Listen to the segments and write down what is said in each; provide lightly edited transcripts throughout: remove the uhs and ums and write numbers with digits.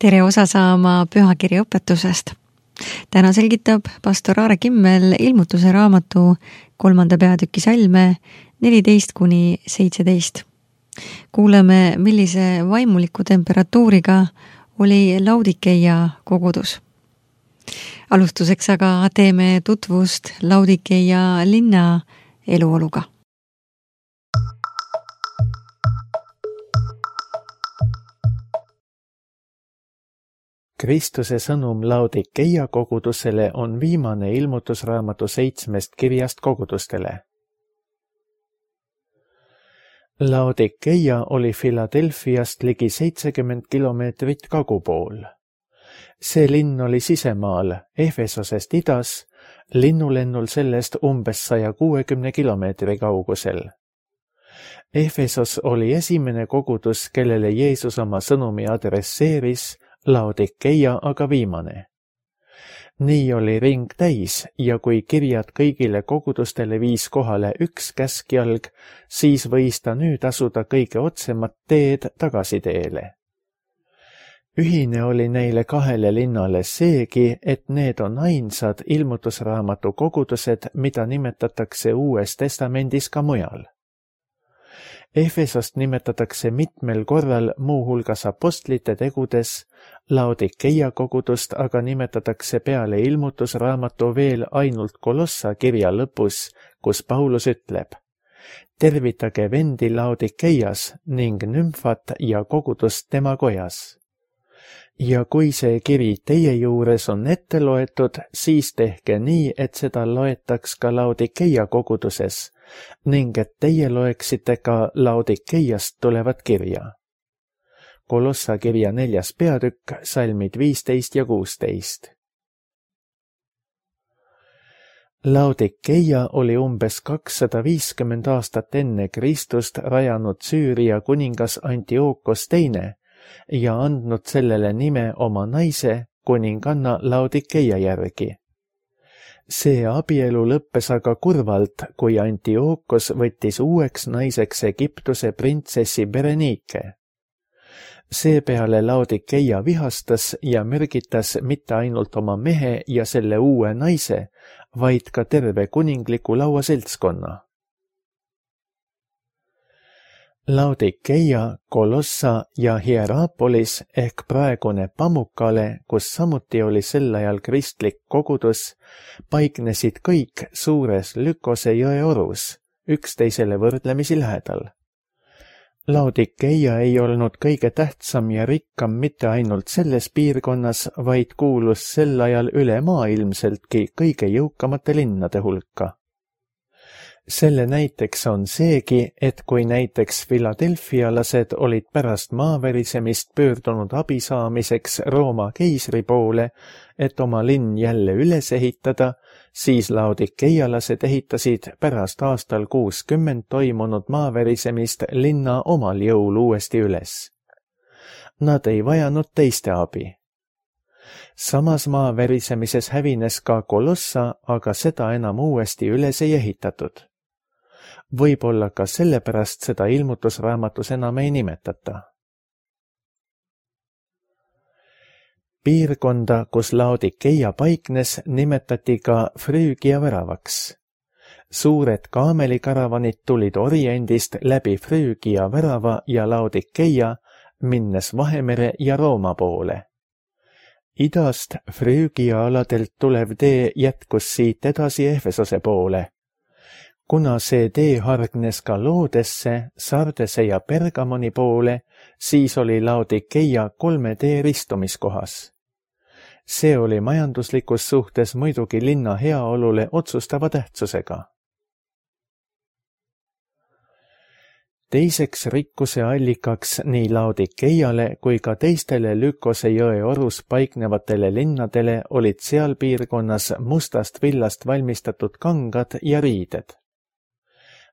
Tere osa saama pühakirja õpetusest. Täna selgitab pastor Aare Kimmel ilmutuse raamatu 3. peatüki salme 14-17. Kuuleme, millise vaimuliku temperatuuriga oli Laudikeia kogudus. Alustuseks aga teeme tutvust Laudikeia linna eluoluga. Kristuse sõnum Laudikeia kogudusele on viimane ilmutusraamatu 7 kirjast kogudustele. Laudikeia oli Philadelphiast ligi 70 kilomeetrit kagupool. See linn oli sisemaal, Efesosest idas, linnulennul sellest umbes 160 kilomeetri kaugusel. Efesos oli esimene kogudus, kellele Jeesus oma sõnumi adresseeris, Laudikeia aga viimane. Nii oli ring täis ja kui kirjad kõigile kogudustele viis kohale üks käskjalg, siis võis ta nüüd asuda kõige otsemat teed tagasiteele. Ühine oli neile kahele linnale seegi, et need on ainsad ilmutusraamatu kogudused, mida nimetatakse Uues Testamendis ka mujal. Efesost nimetatakse mitmel korral muuhulgas apostlite tegudes, Laudikeia kogudust aga nimetatakse peale ilmutusraamatu veel ainult Kolossa kirja lõpus, kus Paulus ütleb: tervitage vendi Laudikeias ning nümfat ja kogudust tema kojas. Ja kui see kiri teie juures on ette loetud, siis tehke nii, et seda loetaks ka Laudikeia koguduses ning et teie loeksite ka Laudikeiast tulevat kirja. Kolossa kirja 4. peatükk, salmid 15 ja 16. Laudikeia oli umbes 250 aastat enne Kristust rajanud Süüria kuningas Antiookos II ja andnud sellele nime oma naise, kuninganna Laudikeia järgi. See abielu lõppes aga kurvalt, kui Antiookos võttis uueks naiseks Egiptuse printsessi Berenike. Seepeale Laudikeia vihastas ja mürgitas mitte ainult oma mehe ja selle uue naise, vaid ka terve kuningliku lauaseltskonna. Laudikeia, Kolossa ja Hierapolis ehk praegune Pamukkale, kus samuti oli sel ajal kristlik kogudus, paiknesid kõik suures Lykose jõe orus, üksteisele võrdlemisi lähedal. Laudikeia ei olnud kõige tähtsam ja rikkam mitte ainult selles piirkonnas, vaid kuulus sel ajal ülemaailmseltki kõige jõukamate linnade hulka. Selle näiteks on seegi, et kui näiteks Philadelphialased olid pärast maaverisemist pöördunud abi saamiseks Rooma keisri poole, et oma linn jälle üles ehitada, siis Laudikeialased ehitasid pärast aastal 60 toimunud maaverisemist linna omal jõul uuesti üles. Nad ei vajanud teiste abi. Samas maaverisemises hävines ka Kolossa, aga seda enam uuesti üles ei ehitatud. Võib-olla ka sellepärast seda ilmutusraamatus enam ei nimetata. Piirkonda, kus Laudikeia paiknes, nimetati ka Früügia väravaks. Suured kaamelikaravanid tulid Oriendist läbi Früügia värava ja Laudikeia, minnes Vahemere ja Rooma poole. Idast Früügia aladelt tulev tee jätkus siit edasi Efesose poole. Kuna see tee hargnes ka Loodesse, Sardese ja Pergamoni poole, siis oli Laudikeia 3 tee ristumiskohas. See oli majanduslikus suhtes muidugi linna heaolule otsustava tähtsusega. Teiseks rikkuse allikaks nii Laudikeiale kui ka teistele Lykose jõe orus paiknevatele linnadele olid seal piirkonnas mustast villast valmistatud kangad ja riided.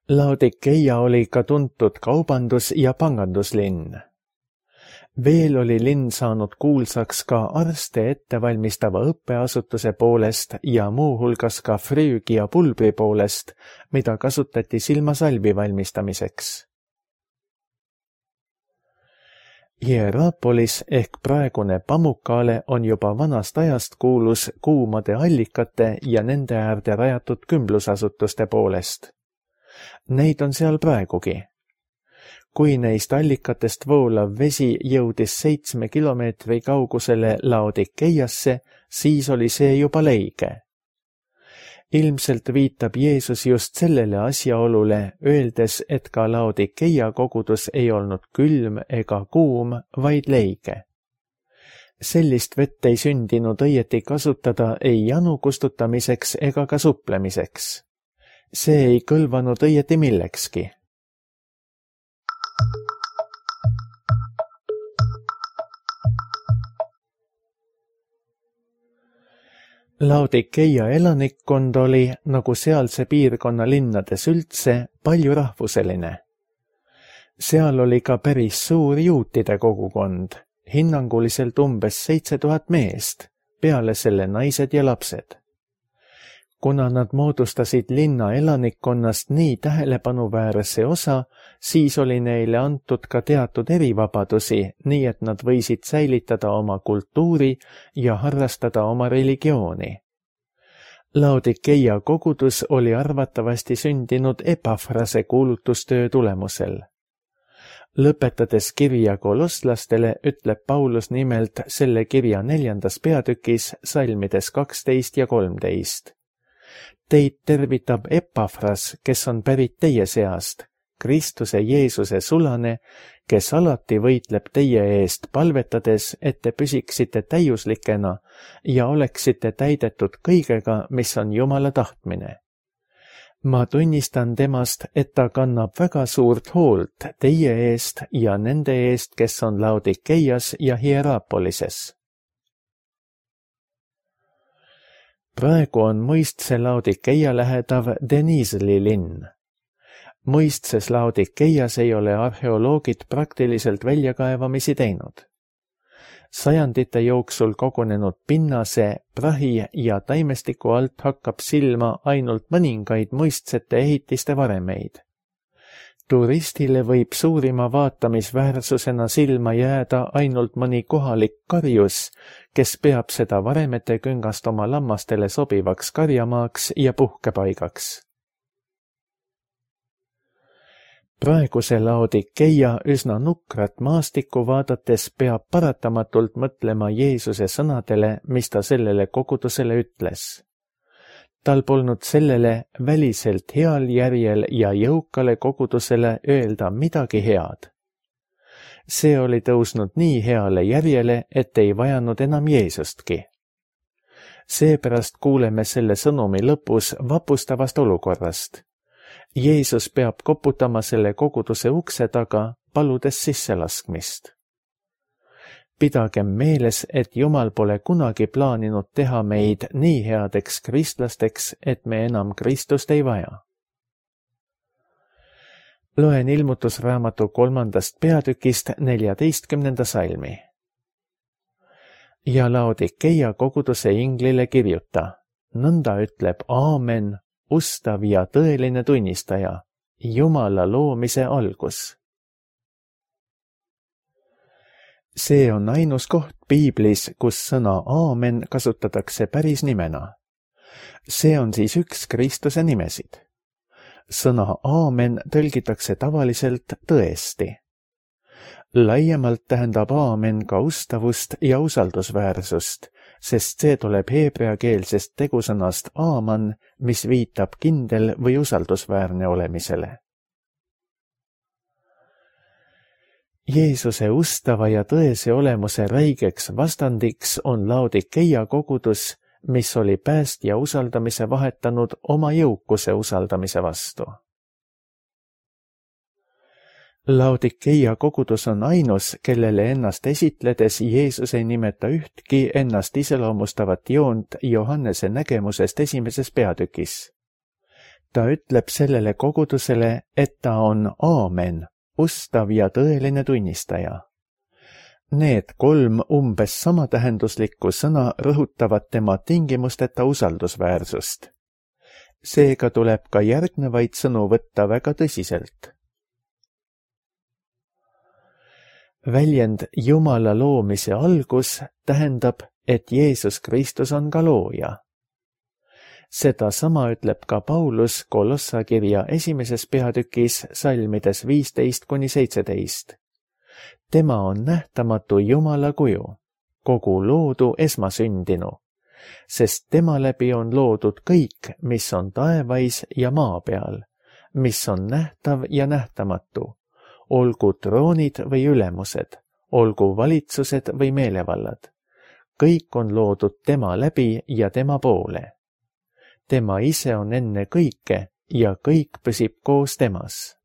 Laudikeia oli ka tuntud kaubandus- ja panganduslinn. Veel oli linn saanud kuulsaks ka arste ettevalmistava õppeasutuse poolest ja muuhulgas ka Früügia pulbri poolest, mida kasutati silmasalvi valmistamiseks. Hierapolis ehk praegune Pamukkale on juba vanast ajast kuulus kuumade allikate ja nende äärde rajatud kümblusasutuste poolest. Neid on seal praegugi. Kui neist allikatest voolav vesi jõudis 7 kilomeetri kaugusele Laodikeiasse, siis oli see juba leige. Ilmselt viitab Jeesus just sellele asjaolule, öeldes, et ka Laodikeia kogudus ei olnud külm ega kuum, vaid leige. Sellist vett ei sündinud õieti kasutada ei janu kustutamiseks ega ka suplemiseks. See ei kõlvanud õieti millekski. Laodikeia elanikkond oli, nagu sealse piirkonna linnades üldse, palju rahvuseline. Seal oli ka päris suur juutide kogukond, hinnanguliselt umbes 7000 meest, peale selle naised ja lapsed. Kuna nad moodustasid linna elanikkonnast nii tähelepanuväärse osa, siis oli neile antud ka teatud erivabadusi, nii et nad võisid säilitada oma kultuuri ja harrastada oma religiooni. Laodikeia kogudus oli arvatavasti sündinud Epafrase kuulutustöö tulemusel. Lõpetades kirja kolosslastele ütleb Paulus nimelt selle kirja 4. peatükis salmides 12 ja 13. Teid tervitab Epafras, kes on pärit teie seast, Kristuse Jeesuse sulane, kes alati võitleb teie eest palvetades, et te püsiksite täiuslikena ja oleksite täidetud kõigega, mis on Jumala tahtmine. Ma tunnistan temast, et ta kannab väga suurt hoolt teie eest ja nende eest, kes on Laodikeias ja Hierapolises. Praegu on mõistse Laodikeia lähedav Denizli linn. Mõistses Laodikeias ei ole arheoloogid praktiliselt väljakaevamisi teinud. Sajandite jooksul kogunenud pinnase, prahi ja taimestiku alt hakkab silma ainult mõningaid mõistsete ehitiste varemeid. Turistile võib suurima vaatamisväärsusena silma jääda ainult mõni kohalik karjus, kes peab seda varemete küngast oma lammastele sobivaks karjamaaks ja puhkepaigaks. Praeguse Laodikeia üsna nukrat maastikku vaadates peab paratamatult mõtlema Jeesuse sõnadele, mis ta sellele kogudusele ütles. Tal polnud sellele väliselt heal järjel ja jõukale kogudusele öelda midagi head. See oli tõusnud nii heale järjele, et ei vajanud enam Jeesustki. Seepärast kuuleme selle sõnumi lõpus vapustavast olukorrast. Jeesus peab koputama selle koguduse ukse taga, paludes sisselaskmist. Pidagem meeles, et Jumal pole kunagi plaaninud teha meid nii headeks kristlasteks, et me enam Kristust ei vaja. Loen ilmutusraamatu 3. peatükist 14. salmi. Ja Laodikeia koguduse inglile kirjuta, nõnda ütleb Aamen, ustav ja tõeline tunnistaja, Jumala loomise algus. See on ainus koht Piiblis, kus sõna Aamen kasutatakse päris nimena. See on siis üks Kristuse nimesid. Sõna Aamen tõlgitakse tavaliselt tõesti. Laiemalt tähendab Aamen ka ustavust ja usaldusväärsust, sest see tuleb heebreakeelsest tegusõnast aaman, mis viitab kindel või usaldusväärne olemisele. Jeesuse ustava ja tõese olemuse räigeks vastandiks on Laodikeia kogudus, mis oli päästja usaldamise vahetanud oma jõukuse usaldamise vastu. Laodikeia kogudus on ainus, kellele ennast esitledes Jeesus ei nimeta ühtki ennast iseloomustavat joont Johannese nägemusest 1. peatükis. Ta ütleb sellele kogudusele, et ta on Aamen, ustav ja tõeline tunnistaja. Need 3 umbes samatähenduslikku sõna rõhutavad tema tingimusteta usaldusväärsust. Seega tuleb ka järgnevaid sõnu võtta väga tõsiselt. väljend Jumala loomise algus tähendab, et Jeesus Kristus on ka looja. Seda sama ütleb ka Paulus Kolossa kirja 1. peatükis salmides 15-17. Tema on nähtamatu Jumala kuju, kogu loodu esmasündinu, sest tema läbi on loodud kõik, mis on taevais ja maa peal, mis on nähtav ja nähtamatu, olgu troonid või ülemused, olgu valitsused või meelevallad. Kõik on loodud tema läbi ja tema poole. Tema ise on enne kõike ja kõik püsib koos temas.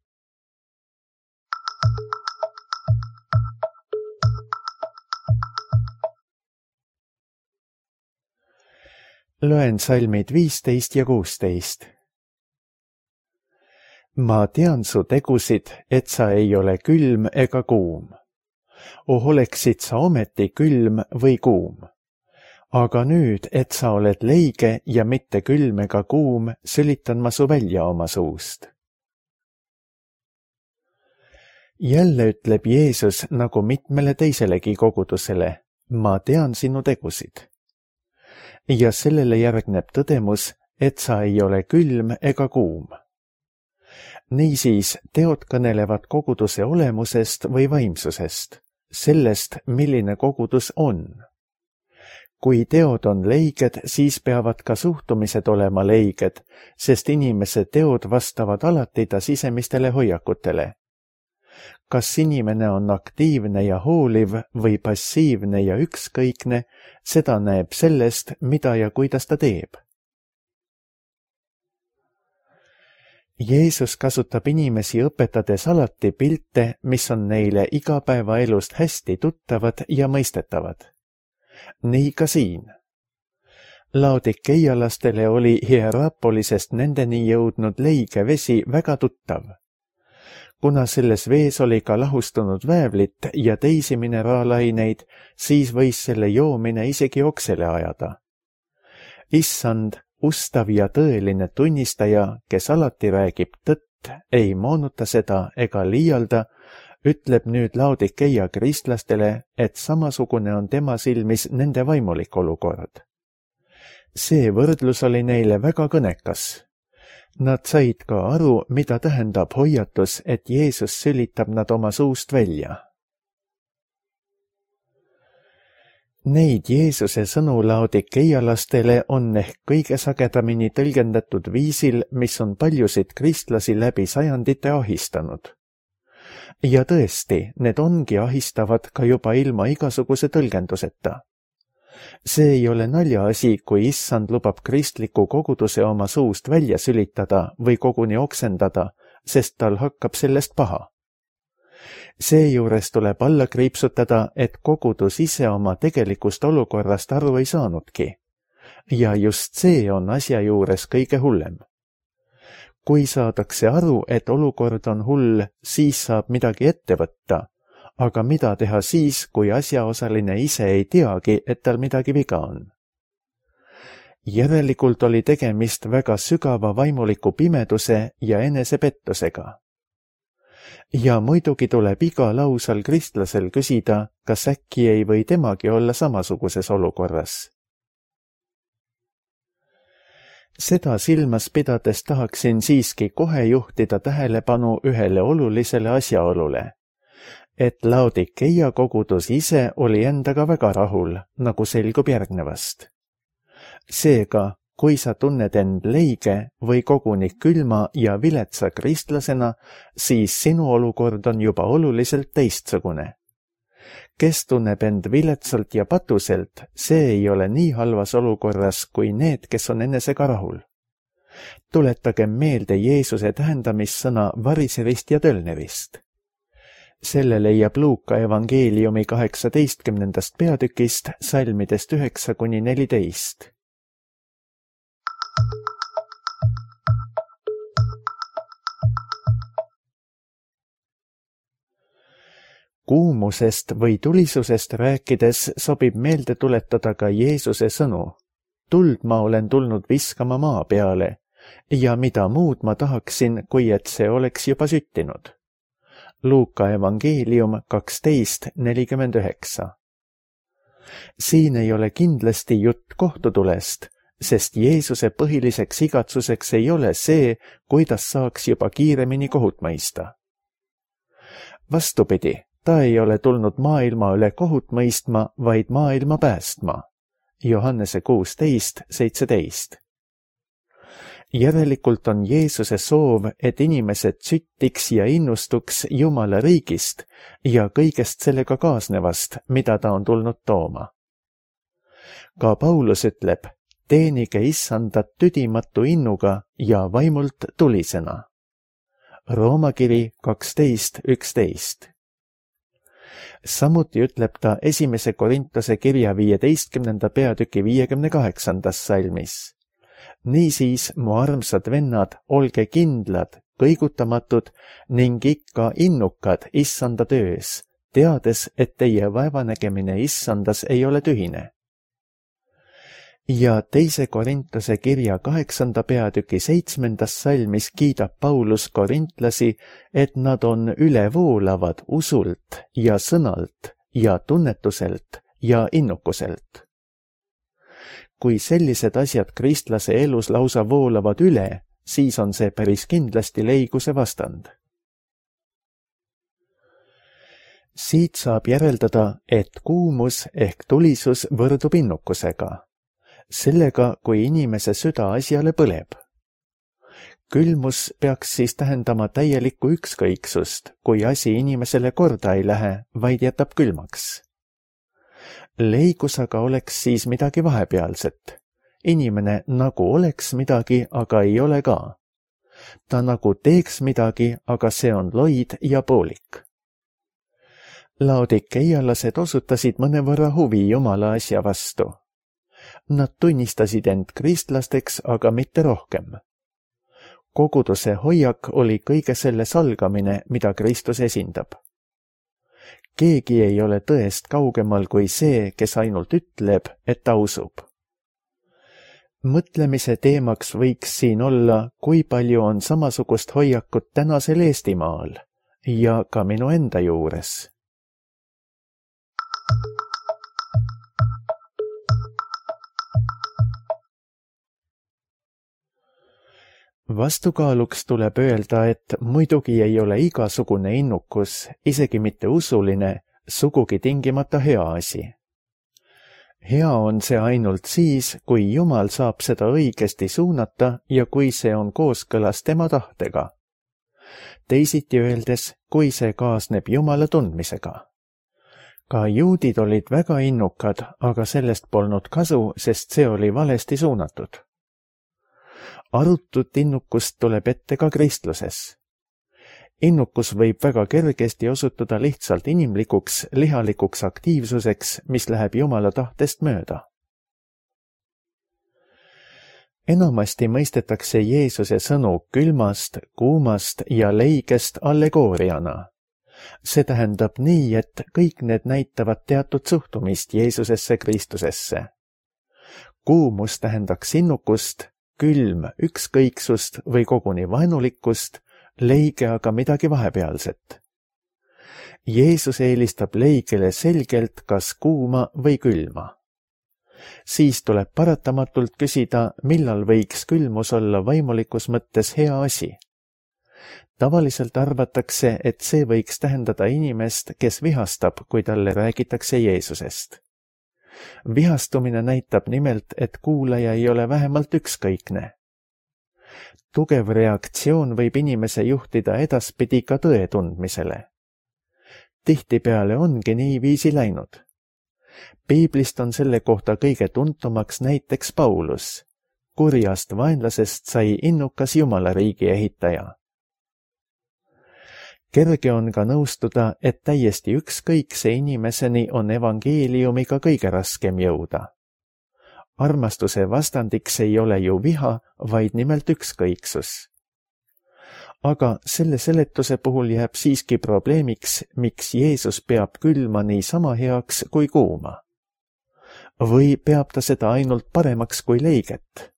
Loen salmid 15 ja 16. Ma tean su tegusid, et sa ei ole külm ega kuum. Oleksid sa ometi külm või kuum. Aga nüüd, et sa oled leige ja mitte külm ega kuum, sülitan ma su välja oma suust. Jälle ütleb Jeesus nagu mitmele teiselegi kogudusele, ma tean sinu tegusid. Ja sellele järgneb tõdemus, et sa ei ole külm ega kuum. Niisiis teod kõnelevad koguduse olemusest või vaimsusest, sellest, milline kogudus on. Kui teod on leiged, siis peavad ka suhtumised olema leiged, sest inimese teod vastavad alati ta sisemistele hoiakutele. Kas inimene on aktiivne ja hooliv või passiivne ja ükskõikne, seda näeb sellest, mida ja kuidas ta teeb. Jeesus kasutab inimesi õpetades alati pilte, mis on neile igapäevaelust hästi tuttavad ja mõistetavad. Nii ka siin. Laodikeialastele oli Hierapolisest nendeni jõudnud leige vesi väga tuttav. Kuna selles vees oli ka lahustunud väävlit ja teisi mineraalaineid, siis võis selle joomine isegi oksele ajada. Issand, ustav ja tõeline tunnistaja, kes alati räägib tõtt, ei moonuta seda ega liialda, ütleb nüüd Laodikeia kristlastele, et samasugune on tema silmis nende vaimulik olukord. See võrdlus oli neile väga kõnekas. Nad said ka aru, mida tähendab hoiatus, et Jeesus sülitab nad oma suust välja. Neid Jeesuse sõnu laodikeialastele on ehk kõige sagedamini tõlgendatud viisil, mis on paljusid kristlasi läbi sajandite ahistanud. Ja tõesti, need ongi ahistavad ka juba ilma igasuguse tõlgenduseta. See ei ole naljaasi, kui issand lubab kristliku koguduse oma suust välja sülitada või koguni oksendada, sest tal hakkab sellest paha. Seejuures tuleb alla kriipsutada, et kogudus ise oma tegelikust olukorrast aru ei saanudki. Ja just see on asja juures kõige hullem. Kui saadakse aru, et olukord on hull, siis saab midagi ette võtta, aga mida teha siis, kui asjaosaline ise ei teagi, et tal midagi viga on? Järelikult oli tegemist väga sügava vaimuliku pimeduse ja enesepettusega. Ja muidugi tuleb igal ausal kristlasel küsida, kas äkki ei või temagi olla samasuguses olukorras. Seda silmas pidades tahaksin siiski kohe juhtida tähelepanu ühele olulisele asjaolule, et Laodikeia kogudus ise oli endaga väga rahul, nagu selgub järgnevast. Seega, kui sa tunned end leige või koguni külma ja viletsa kristlasena, siis sinu olukord on juba oluliselt teistsugune. Kes tunneb end viletsalt ja patuselt, see ei ole nii halvas olukorras kui need, kes on enesega rahul. Tuletagem meelde Jeesuse tähendamissõna variserist ja tölnerist. Selle leiab Luuka evangeeliumi 18. peatükist salmidest 9-14. Kuumusest või tulisusest rääkides sobib meelde tuletada ka Jeesuse sõnu. Tuld ma olen tulnud viskama maa peale ja mida muud ma tahaksin, kui et see oleks juba süttinud. Luuka evangeelium 12:49. Siin ei ole kindlasti jutt kohtutulest, sest Jeesuse põhiliseks igatsuseks ei ole see, kuidas saaks juba kiiremini kohut mõista. Vastupidi, ta ei ole tulnud maailma üle kohut mõistma, vaid maailma päästma. Johannese 16:17. Järelikult on Jeesuse soov, et inimesed süttiks ja innustuks Jumala riigist ja kõigest sellega kaasnevast, mida ta on tulnud tooma. Ka Paulus ütleb, teenige issandat tüdimatu innuga ja vaimult tulisena. Rooma kiri 12:11. Samuti ütleb ta 1. Korintuse kirja 15. peatüki 58. salmis. Niisiis, mu armsad vennad, olge kindlad, kõigutamatud ning ikka innukad issanda töös, teades, et teie vaevanägemine issandas ei ole tühine. Ja 2. Korintuse kirja 8. peatüki 7. salmis kiidab Paulus korintlasi, et nad on ülevoolavad usult ja sõnalt ja tunnetuselt ja innukuselt. Kui sellised asjad kristlase elus lausa voolavad üle, siis on see päris kindlasti leiguse vastand. Siit saab järeldada, et kuumus ehk tulisus võrdub innukusega. Sellega, kui inimese süda asjale põleb. Külmus peaks siis tähendama täielikku ükskõiksust, kui asi inimesele korda ei lähe, vaid jätab külmaks. Leigus aga oleks siis midagi vahepealset. Inimene nagu oleks midagi, aga ei ole ka. Ta nagu teeks midagi, aga see on loid ja poolik. Laodikeialased osutasid mõnevõrra huvi Jumala asja vastu. Nad tunnistasid end kristlasteks, aga mitte rohkem. Koguduse hoiak oli kõige selle salgamine, mida Kristus esindab. Keegi ei ole tõest kaugemal kui see, kes ainult ütleb, et ta usub. Mõtlemise teemaks võiks siin olla, kui palju on samasugust hoiakut tänasel Eestimaal ja ka minu enda juures. Vastukaaluks tuleb öelda, et muidugi ei ole igasugune innukus, isegi mitte usuline, sugugi tingimata hea asi. Hea on see ainult siis, kui Jumal saab seda õigesti suunata ja kui see on kooskõlas tema tahtega. Teisiti öeldes, kui see kaasneb Jumala tundmisega. Ka juudid olid väga innukad, aga sellest polnud kasu, sest see oli valesti suunatud. Arutut innukust tuleb ette ka kristluses. Innukus võib väga kergesti osutuda lihtsalt inimlikuks, lihalikuks aktiivsuseks, mis läheb Jumala tahtest mööda. Enamasti mõistetakse Jeesuse sõnu külmast, kuumast ja leigest allegooriana. See tähendab nii, et kõik need näitavad teatud suhtumist Jeesusesse Kristusesse. Kuumus tähendaks innukust, külm ükskõiksust või koguni vaenulikkust, leige aga midagi vahepealset. Jeesus eelistab leigele selgelt kas kuuma või külma. Siis tuleb paratamatult küsida, millal võiks külmus olla vaimulikus mõttes hea asi. Tavaliselt arvatakse, et see võiks tähendada inimest, kes vihastab, kui talle räägitakse Jeesusest. Vihastumine näitab nimelt, et kuulaja ei ole vähemalt ükskõikne. Tugev reaktsioon võib inimese juhtida edaspidi ka tõe tundmisele. Tihtipeale ongi niiviisi läinud. Piiblist on selle kohta kõige tuntumaks näiteks Paulus. Kurjast vaenlasest sai innukas Jumala riigi ehitaja. Kerge on ka nõustuda, et täiesti ükskõikse inimeseni on evangeeliumiga kõige raskem jõuda. Armastuse vastandiks ei ole ju viha, vaid nimelt ükskõiksus. Aga selle seletuse puhul jääb siiski probleemiks, miks Jeesus peab külma nii sama heaks kui kuuma. Või peab ta seda ainult paremaks kui leiget?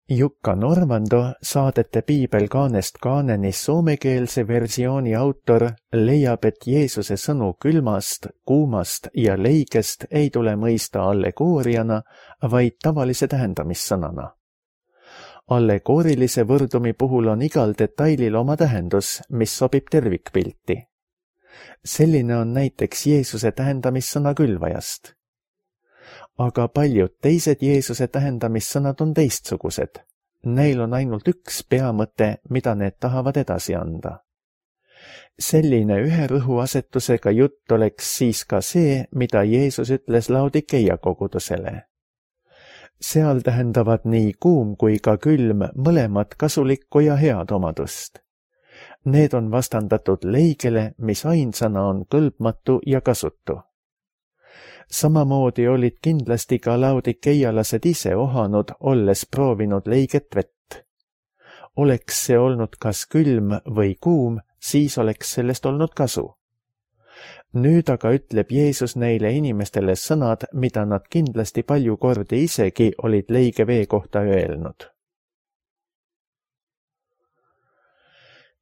Jukka Norvando, Saadete piibel kaanest kaaneni soomekeelse versiooni autor, leiab, et Jeesuse sõnu külmast, kuumast ja leigest ei tule mõista allegooriana, vaid tavalise tähendamissõnana. Allegoorilise võrdumi puhul on igal detailil oma tähendus, mis sobib tervikpilti. Selline on näiteks Jeesuse tähendamissõna külvajast. Aga paljud teised Jeesuse tähendamissõnad on teistsugused. Neil on ainult üks peamõte, mida need tahavad edasi anda. Selline ühe rõhuasetusega jutt oleks siis ka see, mida Jeesus ütles Laodikeia kogudusele. Seal tähendavad nii kuum kui ka külm mõlemad kasulikku ja head omadust. Need on vastandatud leigele, mis ainsana on kõlbmatu ja kasutu. Samamoodi olid kindlasti ka laodikeialased ise ohanud, olles proovinud leiget vett. Oleks see olnud kas külm või kuum, siis oleks sellest olnud kasu. Nüüd aga ütleb Jeesus neile inimestele sõnad, mida nad kindlasti palju kordi isegi olid leige vee kohta öelnud.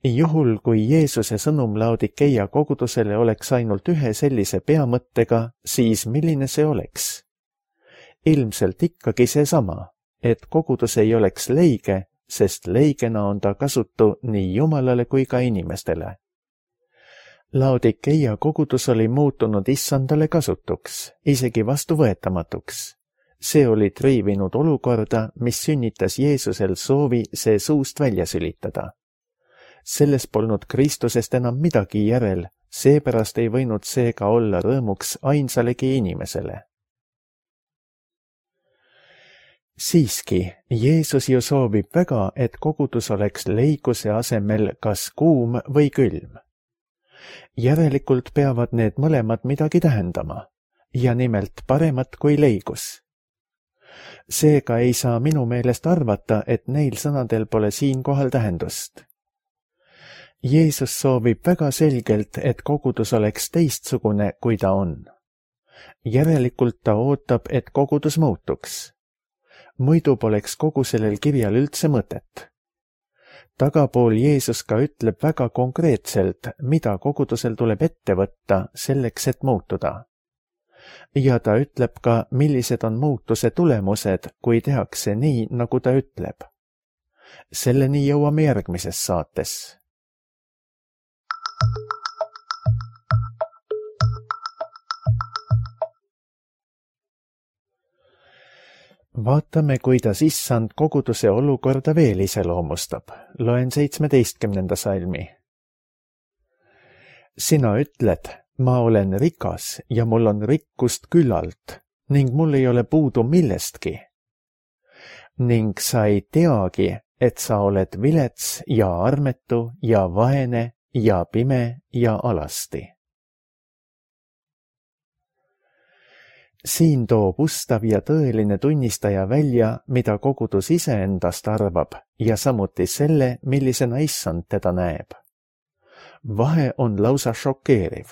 Juhul, kui Jeesuse sõnum Laodikeia kogudusele oleks ainult ühe sellise peamõttega, siis milline see oleks? Ilmselt ikkagi seesama, et kogudus ei oleks leige, sest leigena on ta kasutu nii Jumalale kui ka inimestele. Laodikeia kogudus oli muutunud issandale kasutuks, isegi vastuvõetamatuks. See oli triivinud olukorda, mis sünnitas Jeesusel soovi see suust välja sülitada. Selles polnud Kristusest enam midagi järel, seepärast ei võinud seega olla rõõmuks ainsalegi inimesele. Siiski, Jeesus ju soovib väga, et kogudus oleks leiguse asemel kas kuum või külm. Järelikult peavad need mõlemad midagi tähendama, ja nimelt paremat kui leigus. Seega ei saa minu meelest arvata, et neil sõnadel pole siinkohal tähendust. Jeesus soovib väga selgelt, et kogudus oleks teistsugune, kui ta on. Järelikult ta ootab, et kogudus muutuks. Muidu poleks kogu sellel kirjal üldse mõtet. Tagapool Jeesus ka ütleb väga konkreetselt, mida kogudusel tuleb ette võtta selleks, et muutuda. Ja ta ütleb ka, millised on muutuse tulemused, kui tehakse nii, nagu ta ütleb. Selleni jõuame järgmises saates. Vaatame, kuidas issand koguduse olukorda veel iseloomustab. Loen 17. salmi. Sina ütled, ma olen rikas ja mul on rikkust küllalt ning mul ei ole puudu millestki. Ning sa ei teagi, et sa oled vilets ja armetu ja vaene ja pime ja alasti. Siin toob ustav ja tõeline tunnistaja välja, mida kogudus iseendast arvab ja samuti selle, millisena issand teda näeb. Vahe on lausa šokeeriv.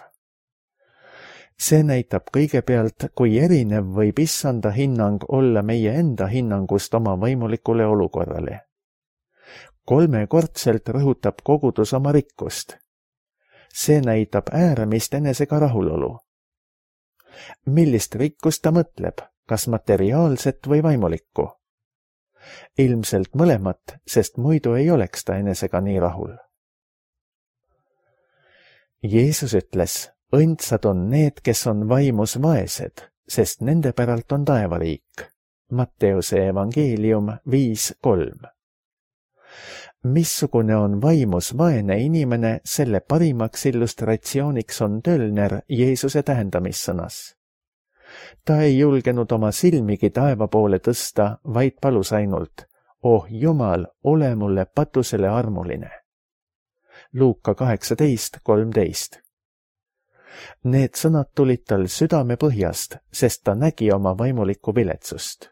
See näitab kõigepealt, kui erinev võib issanda hinnang olla meie enda hinnangust oma võimulikule olukorrale. 3-kordselt rõhutab kogudus oma rikkust. See näitab ääramist enesega rahulolu. Millist rikkust ta mõtleb, kas materiaalset või vaimulikku? Ilmselt mõlemat, sest muidu ei oleks ta enesega nii rahul. Jeesus ütles, õndsad on need, kes on vaimus vaesed, sest nende päralt on taevariik. Matteuse evangeelium 5:3. Missugune on vaimus vaene inimene, selle parimaks illustratsiooniks on Tölner Jeesuse tähendamissõnas. Ta ei julgenud oma silmigi taeva poole tõsta, vaid palus ainult, oh Jumal, ole mulle patusele armuline. Luuka 18:13. Need sõnad tulid tal südame põhjast, sest ta nägi oma vaimulikku viletsust.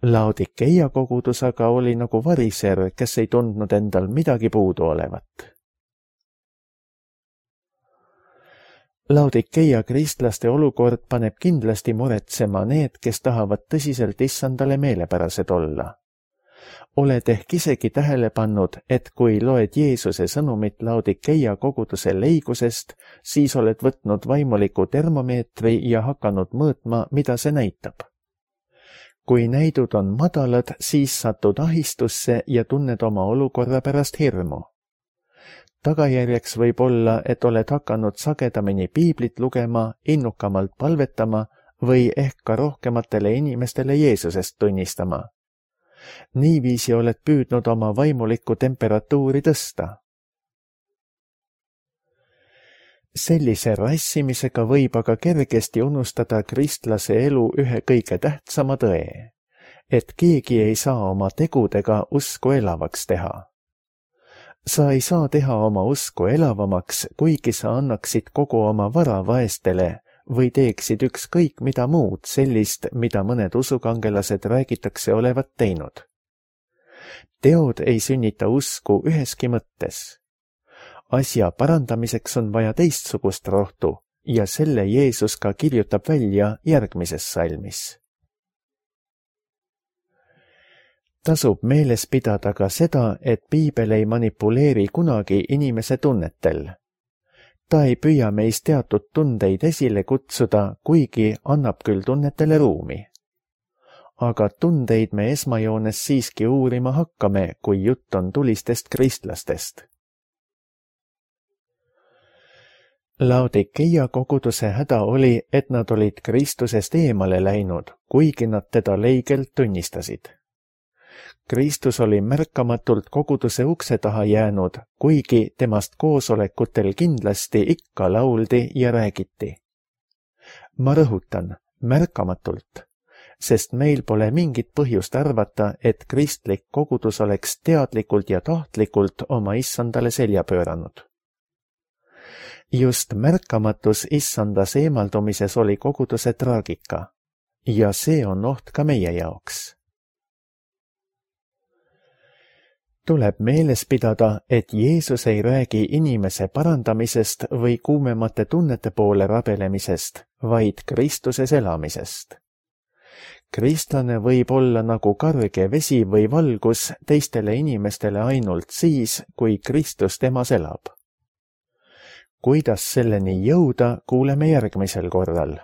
Laodikeia kogudus aga oli nagu variser, kes ei tundnud endal midagi puudu olevat. Laodikeia kristlaste olukord paneb kindlasti muretsema need, kes tahavad tõsiselt issandale meelepärased olla. oled ehk isegi tähele pannud, et kui loed Jeesuse sõnumit Laodikeia koguduse leigusest, siis oled võtnud vaimuliku termomeetri ja hakanud mõõtma, mida see näitab. Kui näidud on madalad, siis satud ahistusse ja tunned oma olukorra pärast hirmu. Tagajärjeks võib olla, et oled hakanud sagedamini piiblit lugema, innukamalt palvetama või ehk ka rohkematele inimestele Jeesusest tunnistama. Niiviisi oled püüdnud oma vaimulikku temperatuuri tõsta. Sellise rassimisega võib aga kergesti unustada kristlase elu ühe kõige tähtsama tõe, et keegi ei saa oma tegudega usku elavaks teha. Sa ei saa teha oma usku elavamaks, kuigi sa annaksid kogu oma vara vaestele või teeksid ükskõik mida muud sellist, mida mõned usukangelased räägitakse olevat teinud. Teod ei sünnita usku üheski mõttes. Asja parandamiseks on vaja teistsugust rohtu ja selle Jeesus ka kirjutab välja järgmises salmis. Tasub meeles pidada ka seda, et piibel ei manipuleeri kunagi inimese tunnetel. Ta ei püüa meist teatud tundeid esile kutsuda, kuigi annab küll tunnetele ruumi. Aga tundeid me esmajoones siiski uurima hakkame, kui jutt on tulistest kristlastest. Laodikeia koguduse häda oli, et nad olid Kristusest eemale läinud, kuigi nad teda leigelt tunnistasid. Kristus oli märkamatult koguduse ukse taha jäänud, kuigi temast koosolekutel kindlasti ikka lauldi ja räägiti. Ma rõhutan, märkamatult, sest meil pole mingit põhjust arvata, et kristlik kogudus oleks teadlikult ja tahtlikult oma issandale selja pööranud. Just märkamatus issandas eemaldumises oli koguduse traagika ja see on oht ka meie jaoks. Tuleb meeles pidada, et Jeesus ei räägi inimese parandamisest või kuumemate tunnete poole rabelemisest, vaid Kristuses elamisest. Kristlane võib olla nagu karge vesi või valgus teistele inimestele ainult siis, kui Kristus temas elab. Kuidas selleni jõuda, kuuleme järgmisel korral.